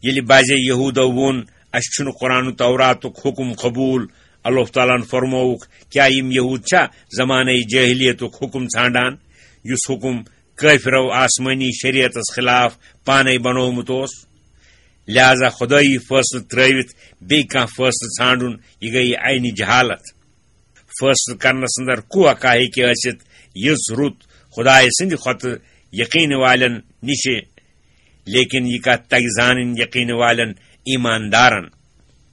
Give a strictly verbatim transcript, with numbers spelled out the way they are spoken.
ییٚلہِ بعضے یہوٗدو ووٚن، "اسہِ چھُنہٕ قرآن و توراتُک حُکم قبوٗل"، اللہ تعالیٰ ہن فرمووُکھ، کیٛاہ یِم یہوٗد چھا زمانَے جٲہلیتُک حُکم ژھانٛڈان، یُس حُکم کٲفرو آسمٲنی شریعتس خلاف پانے بنوومُت اوس؟ لہذا خدٲیی فٲصلہٕ ترٲوِتھ بیٚیہِ کانٛہہ فٲصلہٕ ژھانٛڈُن، یہِ گٔیہِ عینِ جہالت۔ فٲصلہٕ کرنس اندر کوٗتاہ ہیٚکہِ ٲسِتھ، یٔژ رُت خدایہِ سٕنٛدِ کھۄتہٕ یقیٖن والٮ۪ن نِشہِ، لیکن یہِ کتھ تگہِ زانٕنۍ یقیٖن والٮ۪ن ایماندارن۔